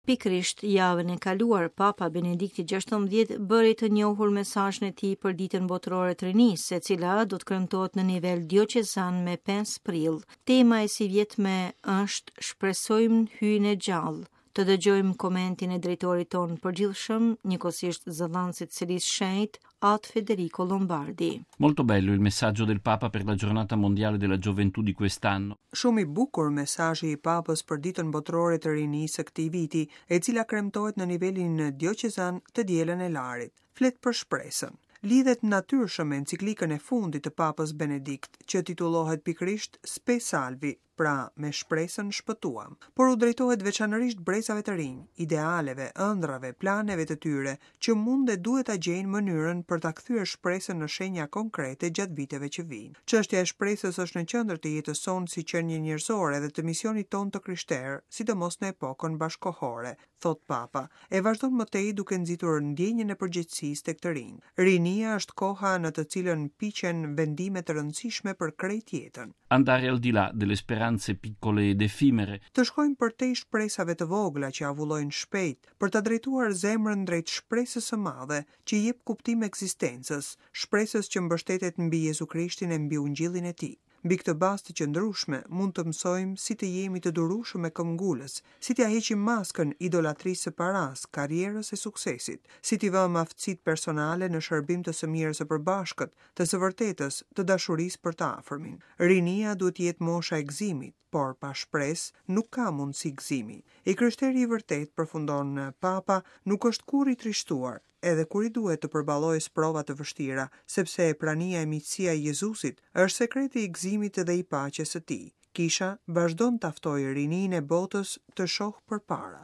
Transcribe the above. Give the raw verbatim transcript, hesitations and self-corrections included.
Pikërisht javën e kaluar, Papa Benedikti gjashtëmbëdhjetë bëri të njohur mesazhin e tij për Ditën Botërore të Rinisë, e cila do të kremtohet në nivel dioqezan me pesë prill. Tema e sivjetme është Shpresojmë Hyjin e gjallë. Të dëgjojmë komentin e drejtorit tonë përgjithshëm, njëkohësisht zëdhënësit Selisë Shenjtë, At Federico Lombardi. Molto bello il messaggio del Papa per la Giornata Mondiale della Gioventù di quest'anno. Shumë i bukur mesazhi i Papës për Ditën Botërore të Rinisë së këtij viti, e cila kremtohet në nivelin dioqezan të dielën e Larit. Flet për shpresën. Lidhet natyrshëm me enciklikën e fundit të Papës Benedikt, që titullohet pikërisht Spe Salvi, pra me shpresën shpëtuam, por u drejtohet veçanërisht brezave të rinj, idealeve, ëndrrave, planeve të tyre, që mund dhe duhet ta gjejnë mënyrën për ta kthyer shpresën në shenja konkrete gjatë viteve që vijnë. Çështja e shpresës është në qendër të jetës sonë si qenie njerëzore dhe të misionit tonë të krishterë, sidomos në epokën bashkohore, thot Papa, e vazhdon më tej duke nxitur ndjenjën e përgjegjësisë tek të rinj. Rinia është koha në të cilën piqen vendime të rëndësishme për krejt jetën. Andare al di là delle speranze piccole ed effimere. Të shkojmë përtej shpresave të vogla që avullojnë shpejt, për ta drejtuar zemrën drejt shpresës së madhe që i jep kuptim ekzistencës, shpresës që mbështetet mbi Jezu Krishtin e mbi ungjillin e tij. Mbi këtë bazë të qëndrueshme mund të mësojmë si të jemi të durueshëm e këmbgulës, si t'ia heqim maskën idolatrisë së paras, karrierës e suksesit, si t'i vëmë aftësitë personale në shërbim të së mirës së përbashkët, të së vërtetës, të dashurisë për të afërmin. Rinia duhet të jetë mosha e gëzimit, por pa shpresë nuk ka mundësi gëzimi. I krishteri i vërtet, përfundon Papa, nuk është kurrë i trishtuar, edhe kur i duhet të përballojë sprova të vështira, sepse prania e miqësia e Jezusit është sekreti i gëzimit dhe i paqes së tij. Kisha vazhdon ta ftojë rininë e botës të shohë përpara.